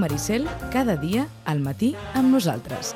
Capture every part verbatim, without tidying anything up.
Maricel, cada dia al matí amb nosaltres.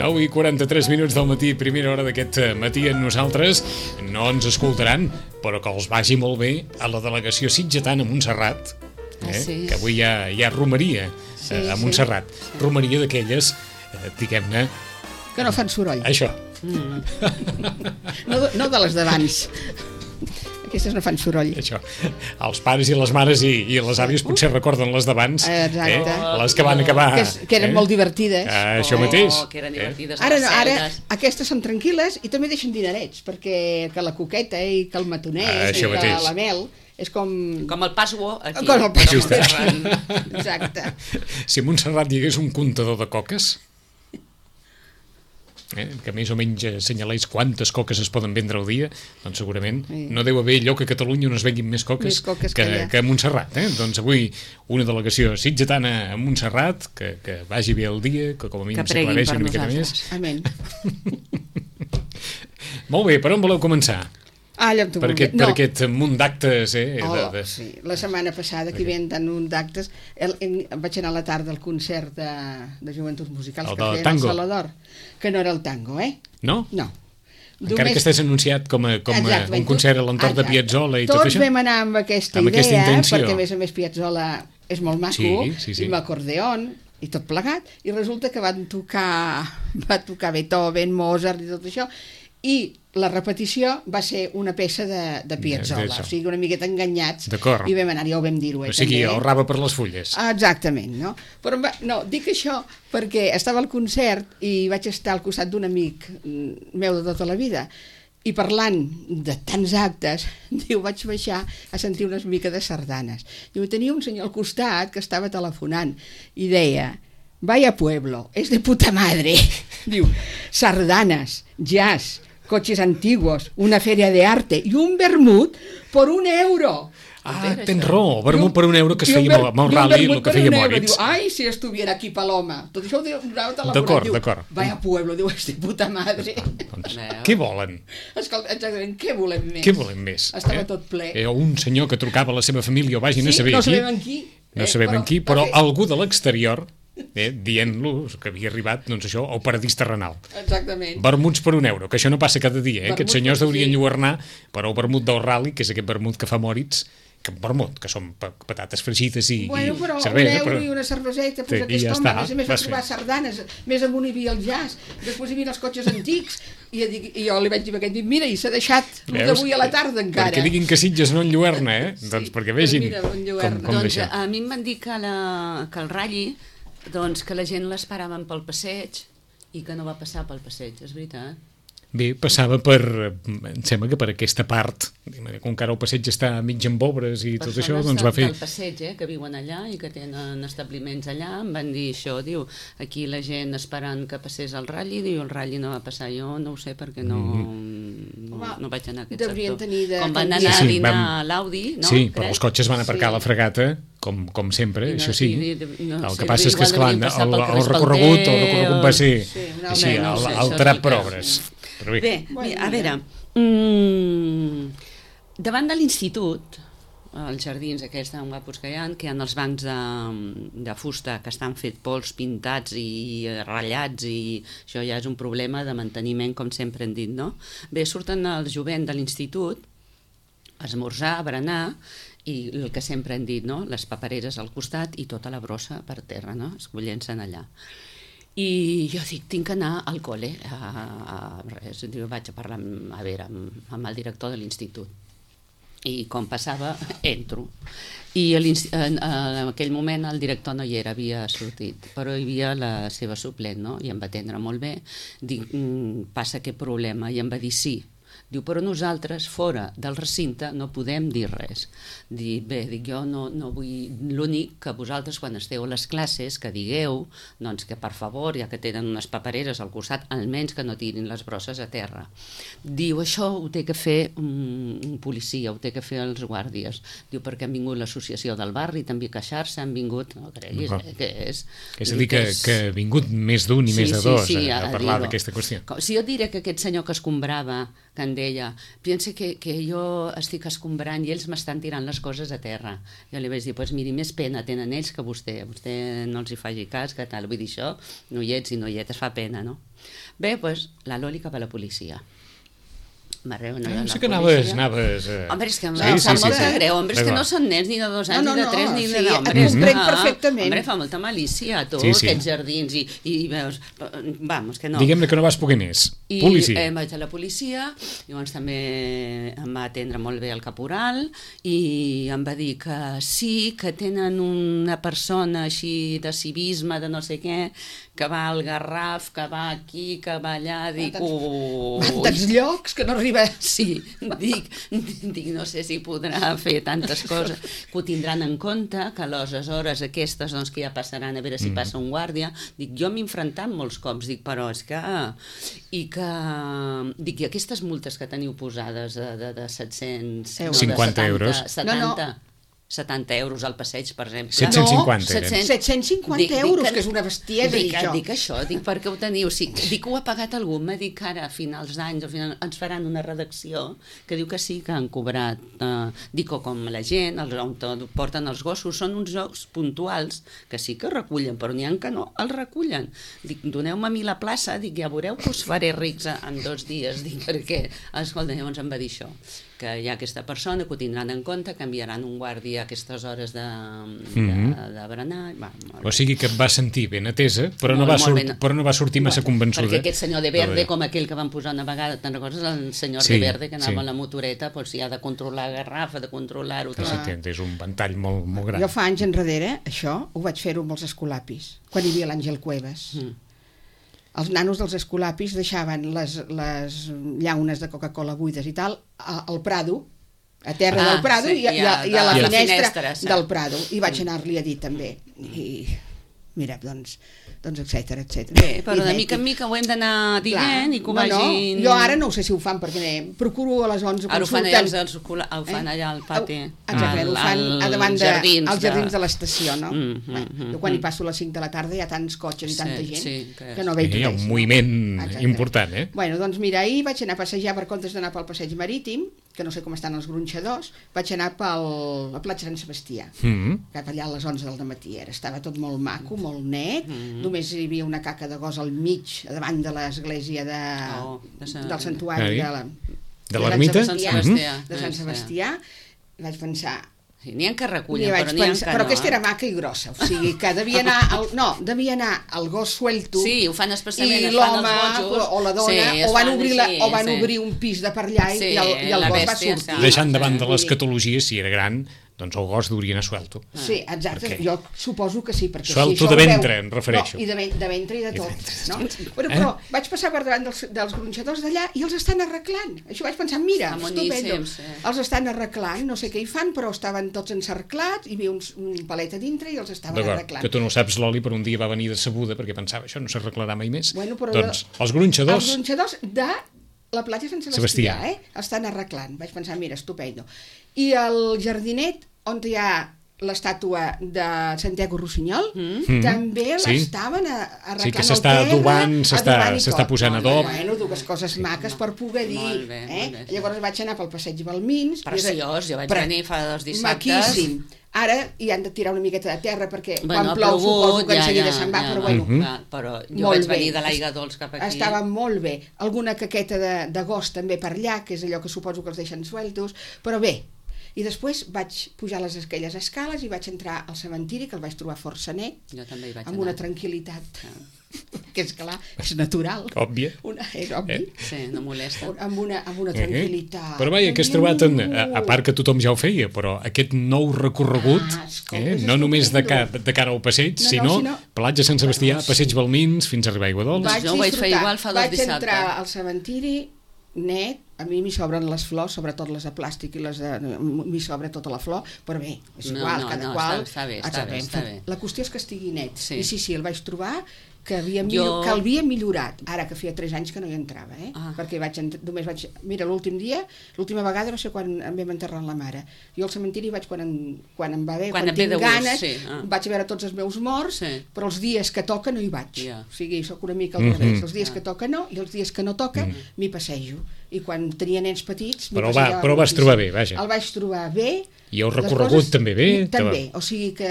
nou i quaranta-tres minuts del matí, primera hora d'aquest matí amb nosaltres. No ens escoltaran, però que els vagi molt bé a la delegació sitgetana a Montserrat, eh? Ah, sí. Que avui hi ha, hi ha romeria sí, a Montserrat. Sí, sí. Romeria d'aquelles, eh, diguem-ne... Que no fan soroll. Això. Mm. No, no de les d'abans. Aquestes no fan soroll. Això. Els pares i les mares i, i les àvies potser recorden les d'abans, eh? Les que van acabar... Que, és, que eren eh? molt divertides. Ah, això mateix. Oh, que eren divertides. Eh? Ara, no, ara aquestes són tranquil·les i també deixen dinerets, perquè que la coqueta i que el matonès ah, i que mateix. La mel... És com... Com el Passuo, aquí. Com el Passuo. Exacte. Si a Montserrat hi hagués un comptador de coques... Eh, que més o menys assenyalés quantes coques es poden vendre al dia, doncs segurament sí. No deu haver lloc a Catalunya on es venguin més coques, més coques que, que, que a Montserrat. Eh? Doncs avui una delegació sitgetana a Montserrat, que, que vagi bé el dia, que com a mínim s'aclareixi una miqueta més. Amén. Molt bé, per on voleu començar? Ah, allà per, aquest, no. per aquest munt d'actes eh, oh, de, de... Sí. La setmana passada que hi havia tant un d'actes el, el, vaig anar a la tarda al concert de, de joventuts musicals el que feien al Salador, que no era el tango, eh? No? No. Encara Només... que estàs anunciat com a, com a exacte, un concert a l'entorn de Piazzolla i tots tot això? Tots vam anar amb aquesta amb idea, aquesta intenció. Perquè a més a més Piazzolla és molt maco, sí, sí, sí. i amb acordeon i tot plegat, i resulta que van tocar va tocar Beethoven, Mozart i tot això, i la repetició va ser una peça de, de Piazzolla, o sigui, una miqueta enganyats, i vam anar, ja ho vam dir-ho. Eh, o sigui, també. ahorrava per les fulles. Ah, exactament, no? Però va, no, dic això perquè estava al concert i vaig estar al costat d'un amic meu de tota la vida, i parlant de tants actes, diu, vaig baixar a sentir una mica de sardanes. Diu, tenia un senyor al costat que estava telefonant i deia, vaya pueblo, es de puta madre. Diu, sardanes, jazz, coches antiguos, una feria de arte i un vermut por un euro. Ah, tens raó, vermut per un euro que es feia amb el rally, el que feia Moritz. Diu, ai, si estuviera aquí Paloma. Tot això ho donava telefonat. D'acord, d'acord. Vaya pueblo, diu, és de puta madre. Doncs, què volen? Escolta, exactament, què volem més? Què volem més? Estava tot ple. Eh, un senyor que trucava a la seva família o vagin a saber qui. Sí, no sabem en qui. No sabem en qui, però algú de l'exterior... Eh, dient-los que havia arribat doncs això, al paradís terrenal. Exactament. Vermuts per un euro, que això no passa cada dia, eh? Aquests senyors deurien enlluernar per el vermut del rally, que és aquest vermut que fa Moritz, que vermut, que són patates fregides i, bueno, però i cervesa. Un euro però... i una cerveseta, pues aquest ja home, està. A més a més va trobar sardanes, més amunt hi havia el jazz, després hi havia els cotxes antics, i, i jo li vaig dir a aquest, mira, i s'ha deixat d'avui a la tarda encara. Perquè diguin que Sitges no enlluerna, eh? Sí, doncs perquè vegin mira, com, com doncs a mi em van dir que, la, que el ratll doncs que la gent l'esperaven pel passeig i que no va passar pel passeig, és veritat? Bé, passava per, em sembla que per aquesta part, com que ara el passeig està mig amb obres i tot això, doncs va fer... Persones del passeig, eh, que viuen allà i que tenen establiments allà, em van dir això, diu, aquí la gent esperant que passés el ratll, diu, el ratll no va passar, jo no ho sé perquè no, no, Home, no vaig anar a aquest sector. De... Com van anar sí, sí, a dinar vam... a l'Audi, no? Sí, però els cotxes van aparcar sí. a la fregata, com, com sempre, no, això sí. I, no, el que sí, passa és que, esclar, el, el recorregut, el recorregut va ser sí, així, no, el, el trap per obres. Però bé, bé, a veure, mmm, davant de l'institut, els jardins aquests tan guapos que hi ha, que hi ha els bancs de, de fusta que estan fet pols, pintats i ratllats, i això ja és un problema de manteniment, com sempre hem dit, no? Bé, surten els jovent de l'institut a esmorzar, a berenar, i el que sempre hem dit, no? Les papereres al costat i tota la brossa per terra, no? Escollint-se'n allà. I jo dic, tinc que anar al col·le, a, a, res, diu, vaig a parlar amb, a veure, amb, amb el director de l'institut. I com passava, entro. I en, en aquell moment el director no hi era, havia sortit, però hi havia la seva suplent, no? I em va atendre molt bé. Dic, passa aquest problema, i em va dir sí. Diu, però nosaltres, fora del recinte, no podem dir res. Dic, bé, dic, jo no, no vull... L'únic que vosaltres, quan esteu a les classes, que digueu, doncs que per favor, ja que tenen unes papereres al costat, almenys que no tirin les brosses a terra. Diu, això ho té que fer un, un policia, ho té que fer els guàrdies. Diu, perquè han vingut l'associació del barri, també a queixar-se, han vingut... No creguis, eh, que és... És a dir, que, és... que ha vingut més d'un i sí, més de sí, dos sí, a, a parlar d'aquesta qüestió. Si jo diré que aquest senyor que escombrava, que en deia, pensa que, que jo estic escombrant i ells m'estan tirant les coses a terra. Jo li vaig dir, doncs miri, més pena tenen ells que vostè. Vostè no els hi faci cas, que tal. Vull dir, això, noiets i noietes, fa pena, no? Bé, doncs, la Loli cap a la policia. Marreu, no, no sé que anaves... anaves uh... Home, és que em sí, sí, fa sí, molta sí, greu. Home, és que no són nens ni de dos anys, no, no, ni de tres, ni sí, de deu. Home, et comprenc perfectament. Home, fa molta malícia, tu, sí, sí. aquests jardins, i, i veus... Vamos, que no. Diguem-ne que no vas poder més. I policia. eh, vaig a la policia, llavors també em va atendre molt bé el caporal, i em va dir que sí, que tenen una persona així de civisme, de no sé què, que va al Garraf, que va aquí, que va allà, dic... Tants llocs que no arriba... Sí, dic, dic, no sé si podrà fer tantes coses, que ho tindran en compte, que a les hores aquestes doncs, que ja passaran a veure si passa un guàrdia. Dic, jo m'he enfrontat molts cops, dic, però és que... I que... Dic, i aquestes multes que teniu posades de, de, de set-cents... cinquanta euros. setanta, no, no. setanta euros al passeig, per exemple. set-cents cinquanta. No, set-cents cinquanta euros, dic, que és una bestiesa, dic, això. Dic això, dic, perquè ho teniu. Sí, dic que ho ha pagat algú, m'ha dit que ara, a finals d'anys, al final, ens faran una redacció que diu que sí, que han cobrat. Eh, dic, com la gent, els, on porten els gossos, són uns jocs puntuals que sí que recullen, però n'hi ha que no els recullen. Dic, doneu-me a mi la plaça, dic, ja veureu que us faré rics en dos dies, dic, perquè, escolta, llavors em va dir això, que hi ha aquesta persona que ho tindran en compte, que enviaran un guàrdia a aquestes hores de, de, mm-hmm. de berenar. Va, o sigui que et va sentir ben atesa, però, molt, no, va sort, però no va sortir massa bueno, convençuda. Perquè aquest senyor de Verde, com aquell que van posar una vegada, te'n recordes? El senyor sí, de Verde, que anava sí. a la motoreta, doncs si ha de controlar Garrafa, de controlar-ho... Exacte, és un ventall molt, molt gran. Jo fa anys enrere, això, ho vaig fer-ho amb els escolapis, quan hi havia l'Àngel Cuevas. Mm. Els nanos dels escolapis deixaven les, les llaunes de Coca-Cola buides i tal al Prado, a terra ah, del Prado, sí, i, a, i, a, i a la i finestra, finestra sí. del Prado, i vaig anar-li a dir també, i mira, doncs, doncs etcètera, etcètera. Bé, però de mica en mica ho hem d'anar dient i que ho no, vagin... No, jo ara no ho sé si ho fan, perquè procuro a les onze ara consultant... Ara ho fan allà, els, ho fan eh? allà al pati. Exacte, al, ho fan a davant de, jardins, als jardins de, de l'estació, no? Mm, mm, mm, jo quan hi passo a les cinc de la tarda hi ha tants cotxes i tanta sí, gent sí, que, que no veig res. Hi ha un moviment exacte. important, eh? Bueno, doncs mira, ahir vaig anar a passejar per comptes d'anar pel passeig marítim, que no sé com estan els gronxadors, vaig anar pel, a platja Sant Sebastià, mm-hmm. cap allà a les onze del dematí era. Estava tot molt maco, molt net, mm-hmm. només hi havia una caca de gos al mig, davant de l'església de, oh, de sa... del santuari de la... De l'ermita? Sant Sebastià. De Sant Sebastià. Vaig pensar... Sí, n'hi ha que recullen, però n'hi ha que no. Però aquesta era maca i grossa, o sigui que devia anar el, no, devia anar el gos suelto sí, ho fan especialment, i l'home o la dona sí, o van, obrir, la, sí, o van sí. obrir un pis de per allà sí, i el, i el gos va sortir. Sí. Deixant davant de les catologies, si era gran, doncs el gos hauria anar suelto. Sí, exacte, perquè... jo suposo que sí. Perquè suelto si de ventre, veu... em refereixo. No, i de, ven de ventre i de tot. No? Però, però eh? vaig passar per davant dels, dels gronxadors d'allà i els estan arreglant. Això vaig pensar, mira, estupendo. Sí. Els estan arreglant, no sé què hi fan, però estaven tots encerclats, hi havia uns, un palet a dintre i els estaven arreglant. Que tu no ho saps, l'Oli, però un dia va venir decebuda perquè pensava, això no s'arreglarà mai més. Bueno, però doncs jo... els gronxadors... Els gronxadors de... la platja Sant Sebastià, Sebastià. Eh? Estan arreglant. Vaig pensar, mira, estupendo. I el jardinet, on hi ha l'estàtua de Santiago Rossinyol, mm. també sí. l'estaven arreglant sí, que s'està adobant, s'està posant adob. Bueno, dues coses maques per poder dir. Molt bé, eh? molt bé. Llavors vaig anar pel passeig Balmins. Preciós, jo vaig Pre venir fa dos dissabtes. Maquíssim. Ara hi han de tirar una miqueta de terra perquè bueno, quan plou plogut, suposo que ja, enseguida ja, se'n va, ja, però bueno. Uh -huh. Però jo vaig venir de l'Aigua Dols cap aquí. Estava molt bé. Alguna caqueta de, de gos també per allà, que és allò que suposo que els deixen sueltos, però bé. I després vaig pujar les aquelles escales i vaig entrar al cementiri, que el vaig trobar força net, jo també hi vaig amb anar. una tranquil·litat, ah. que és clar, és natural. Òbvia. Una, és obvi. Eh? Sí, no molesta. Amb una, amb una tranquil·litat. Eh? Però vaja, que has trobat, en, a, a part que tothom ja ho feia, però aquest nou recorregut, ah, escolta, eh? no només de, ca, de cara al passeig, no, no, sinó, sinó platja Sant Sebastià, bueno, passeig Balmins, fins a arribar a Aigua Dols. Doncs jo ho vaig fer igual fa dos vaig dissabtes. Vaig entrar al cementiri net, a mi m'hi sobren les flors, sobretot les de plàstic i les de... m'hi sobra tota la flor, però bé, és igual, no, no, cada no, qual... Està, està bé, està bé, està bé. La qüestió és que estigui net. Sí. I sí, sí, el vaig trobar que, havia millor, jo... que el havia millorat, ara que feia tres anys que no hi entrava, eh? Ah. Perquè vaig, només vaig... Mira, l'últim dia, l'última vegada va ser quan em vam enterrar la mare. Jo al cementiri vaig quan, en, quan em va bé, quan, quan tinc gust, ganes, sí. ah. vaig a veure tots els meus morts, sí. però els dies que toca no hi vaig. Yeah. O sigui, sóc una mica al Mm-hmm. revés. Els dies Ah. que toca no, i els dies que no toca Mm. m'hi passejo. I quan tenia nens petits... m'hi Però, va, passejava però vas moltíssim. trobar bé, vaja. El vaig trobar bé. I el Les recorregut coses, també bé? També, o sigui que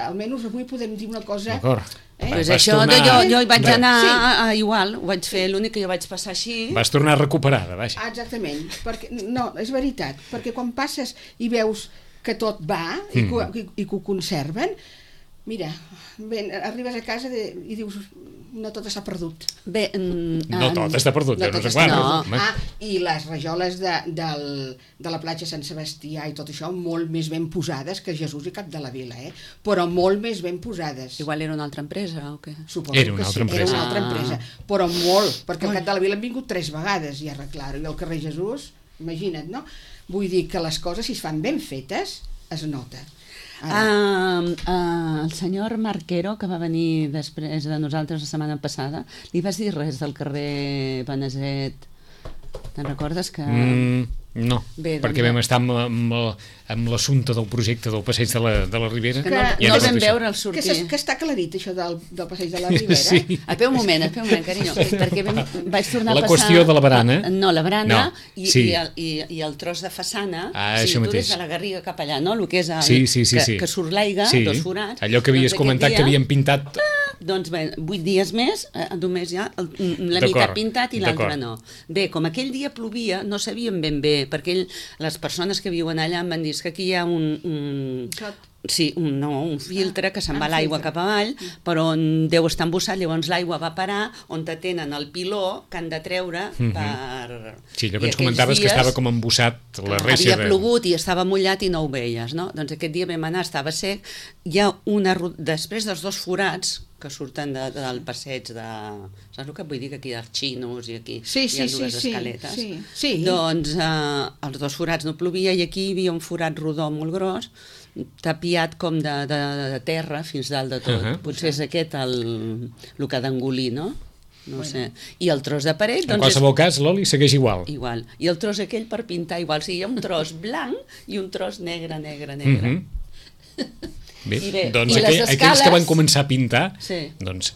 almenys avui podem dir una cosa... D'acord. Eh? Pues Vas això, tornar- jo, jo hi vaig Re- anar Sí. a, a, igual, ho vaig fer, l'únic que jo vaig passar així... Vas tornar recuperada, vaja. Ah, exactament, perquè, no, és veritat, perquè quan passes i veus que tot va i, que, Mm. i, i que ho conserven, mira, ben, arribes a casa de, i dius, no tot està perdut. Bé, mm, No em, tot està perdut, No ja no tot sé està quan. no. home. Ah, i les rajoles de, del, de la platja Sant Sebastià i tot això, molt més ben posades que Jesús i Cap de la Vila, eh? Però molt més ben posades. Igual era una altra empresa o què? Suposo Era una que altra sí, empresa. Era una altra Ah. empresa, però molt, perquè al Cap de la Vila han vingut tres vegades i a arreglar-ho, i al carrer Jesús, imagina't, no? Vull dir que les coses, si es fan ben fetes, es nota. Uh, uh, el senyor Marquero, que va venir després de nosaltres la setmana passada, li vas dir res del carrer Beneset? Te'n recordes que... Mm, no, Bé, doncs perquè ja. vam estar amb, amb, amb l'assumpte del projecte del Passeig de la, de la Ribera. Que no, Que- i no ara el vam tot això. veure al Que, sortir. s'es- que està aclarit, això del, del passeig de la Ribera. Sí. Espera un moment, espera un moment, carinyo, perquè vam, vaig tornar La a passar... qüestió de la barana. No, la barana No, i, sí. i, el, i, i el tros de façana, Ah, o sigui, això tu mateix. des de la Garriga cap allà, no? El que és el, Sí, sí, sí, que, sí. que surt l'aigua, Sí. dos forats. Allò que havies Doncs aquest comentat dia, que havien pintat... Doncs bé, vuit dies més, eh, només ja el, la D'acord, meitat pintat i l'altra d'acord. no. Bé, com aquell dia plovia, no sabíem ben bé, perquè ell, les persones que viuen allà em van dir que aquí hi ha un... un Clot. Sí, un, no, un filtre que se'n ah, va l'aigua filtre. cap avall, però on deu estar embussat, llavors l'aigua va parar on te tenen el piló que han de treure Mhm. per... Sí, allò I que ens aquells comentaves que dies estava com embussat la reixa havia de... plogut i estava mullat i no ho veies, no? Doncs aquest dia vam anar, estava sec, hi ha una... ru- després dels dos forats que surten de, del passeig de... Saps el que vull dir? Que aquí hi ha xinos i aquí Sí, hi sí, ha sí, dues sí, escaletes. sí, sí. Doncs eh, els dos forats no plovia i aquí hi havia un forat rodó molt gros, tapiat com de, de, de terra fins dalt de tot. Uh-huh. Potser és aquest el, el que ha d'engolir, no? No bueno. sé. I el tros de paret... En doncs qualsevol cas, l'oli segueix igual. és igual. I el tros aquell per pintar igual. O sigui, hi ha un tros blanc i un tros negre, negre, negre. Mhm. Bé, I bé, doncs i les aquell, aquells escales- que van començar a pintar, Sí. doncs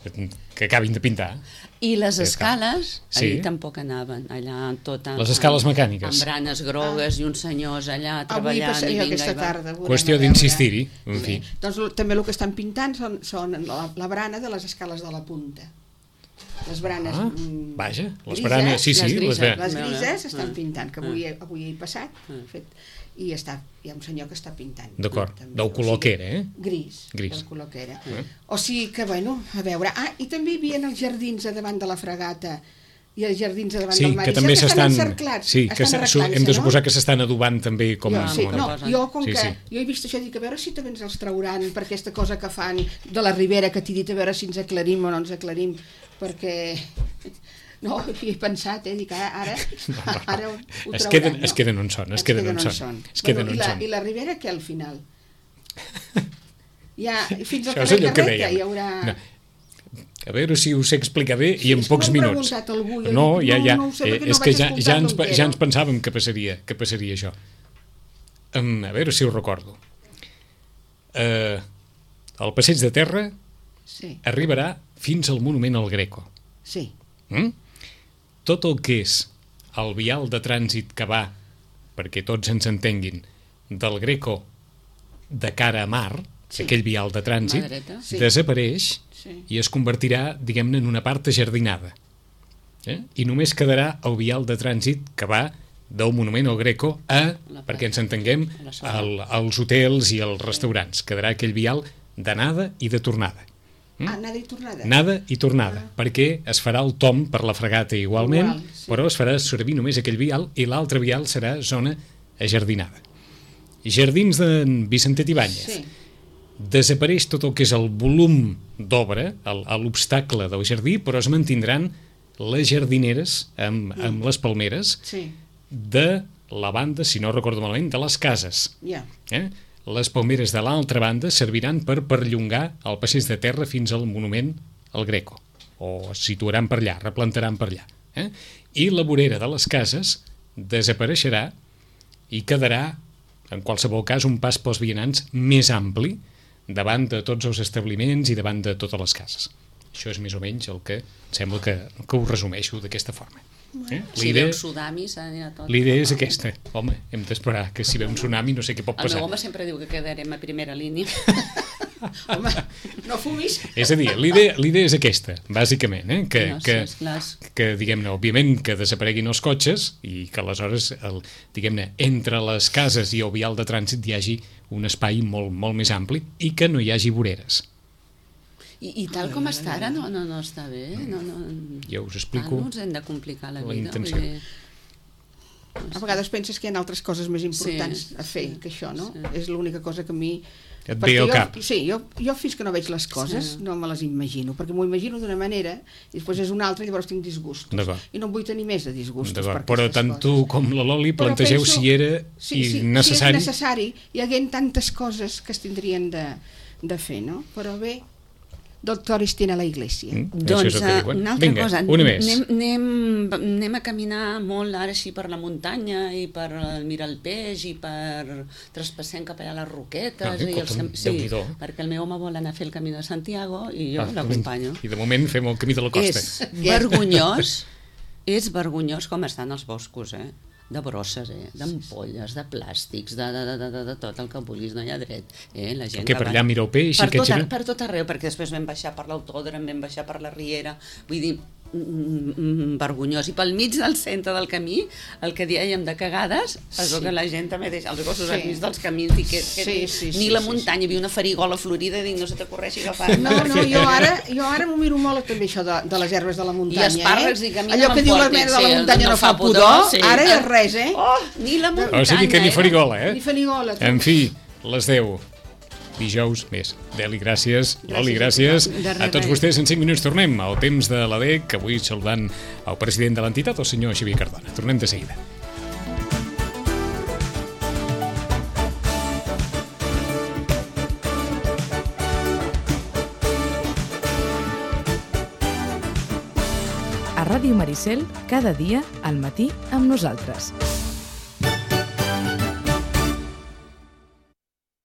que acabin de pintar. I les Ja està. escales, Sí. ahir tampoc anaven, allà tot amb, Les escales mecàniques. amb branes grogues ah. i uns senyors allà Avui treballant. passaré i vinga, aquesta i va. tarda. veurem Qüestió a veure. d'insistir-hi, en fi. Bé, doncs l- també el que estan pintant són, són la, la brana de les escales de la punta. Les branes... Ah, mm, vaja, les grises, branes, sí, sí, les les grises. ve. Les Veure. grises estan Ah. pintant, que avui, Ah. avui he passat, fet, i està, hi ha un senyor que està pintant. D'acord, També, del o color sigui, que era, eh? Gris, Gris. del color que era. Ah. O sigui que, bueno, a veure... Ah, i també hi havia els jardins a davant de la fregata i els jardins a davant Sí, del mar. que I també saps s'estan... encerclats, Sí, que estan se- su- hem de arreglant-se, suposar no? que s'estan adobant també com Jo, a... sí, com a- no, jo com Sí, que sí. jo he vist això, dic a veure si també ens els trauran per aquesta cosa que fan de la Ribera, que t'he dit a veure si ens aclarim o no ens aclarim, perquè no, hi he pensat, eh, dic ara, ara, ara ho, ho Es trauran, queden- no? es queden on són, es queden on són. Es queden Bueno, on i, la, són. I la Ribera què al final? Ja, fins al Això és carrer allò que Carreta dèiem. hi haurà... No. A veure si ho sé explicar bé Sí, i en és que pocs m'ho ha minuts. preguntat algú, jo No, dic, ja, no, ja. no ho sé, Eh, perquè no és que vaig ja, escoltar ja, ens, l'Otero. ja ens pensàvem que passaria, que passaria això. Um, a veure si ho recordo. Uh, el passeig de terra Sí, arribarà fins al monument al Greco. sí. Mm? Tot el que és el vial de trànsit que va, perquè tots ens entenguin, del Greco de cara a mar, Sí. aquell vial de trànsit, Mà dreta. Sí. desapareix Sí. i es convertirà, diguem-ne, en una part ajardinada. Eh? I només quedarà el vial de trànsit que va del monument al Greco a, La perquè ens entenguem, a la zona. al, als hotels i als restaurants. Quedarà aquell vial d'anada i de tornada. Mm? Anada i tornada. Anada i tornada, ah. perquè es farà el tomb per la fregata igualment, Igual, sí. però es farà servir només aquell vial i l'altre vial serà zona ajardinada. Jardins de Vicentet Ibáñez. Sí. Desapareix tot el que és el volum d'obra, el- l'obstacle del jardí, però es mantindran les jardineres amb, amb les palmeres Sí. de la banda, si no recordo malament, de les cases. Ja. Eh? Les palmeres de l'altra banda serviran per perllongar el passeig de terra fins al monument al Greco, o es situaran per allà, replantaran per allà. Eh? I la vorera de les cases desapareixerà i quedarà, en qualsevol cas, un pas pels vianants més ampli davant de tots els establiments i davant de totes les cases. Això és més o menys el que sembla que, que ho resumeixo d'aquesta forma. Eh? Si ve un tsunami s'anirà tot. L'idea és aquesta. Home, hem d'esperar que si ve un tsunami no sé què pot passar. El meu home sempre diu que quedarem a primera línia. Home, no fumis. És a dir, l'idea és aquesta, bàsicament, eh? que, no, que, sí, que diguem-ne, òbviament que desapareguin els cotxes i que aleshores, el, diguem-ne, entre les cases i el vial de trànsit hi hagi un espai molt, molt més ampli i que no hi hagi voreres. I, i tal com està ara no, no, no està bé. No, no, ja us explico. No ens hem de complicar la, la vida. intenció. Vull dir... A vegades penses que hi ha altres coses més importants sí, a fer sí, que això, no? Sí. És l'única cosa que a mi... Et ve al cap. Sí, jo, jo fins que no veig les coses sí. no me les imagino, perquè m'ho imagino d'una manera i després és una altra i llavors tinc disgustos. I no en vull tenir més de disgustos. Però tant coses. Tu com la Loli plantegeu penso, si era sí, sí, necessari. Si és necessari, hi haguent tantes coses que es tindrien de, de fer, no? Però bé, doctores tiene la iglesia. Mm, doncs uh, una altra Vinga, cosa, una més. Anem, anem, anem a caminar molt ara així per la muntanya i per mirar el peix i per traspassem cap allà a les Roquetes. No, i els, sí, perquè el meu home vol anar a fer el camí de Santiago i jo ah, l'acompanyo. I de moment fem el camí de la costa. És vergonyós, és vergonyós com estan els boscos, eh? De brosses, eh? D'ampolles, de plàstics, de, de, de, de, de tot el que vulguis, no hi ha dret. Eh? La gent que per allà mira el peix? Per tot, per tot arreu, perquè després vam baixar per l'autòdrom, vam baixar per la Riera, vull dir, mm, vergonyós. I pel mig del centre del camí, el que dèiem de cagades, es veu sí. que la gent també deixa els gossos sí. al mig dels camins i que, que sí, sí, ni sí, la sí, muntanya, hi havia una farigola florida i dic, no se t'ocorreixi agafar. No, no, jo ara, jo ara m'ho miro molt també això de, de les herbes de la muntanya. I espàrrecs eh? i camina allò que diu la mena de la muntanya no, no fa pudor, sí. ara ja és res, eh? Oh, ni la muntanya. O sigui que ni farigola, eh? Ni farigola. En fi, les deu. Dijous més. Deli, gràcies. gràcies Loli, gràcies. A tots vostès, en cinc minuts tornem al temps de l'A D E C, avui saludant el president de l'entitat, el senyor Xavier Cardona. Tornem de seguida. A Ràdio Maricel, cada dia al matí amb nosaltres.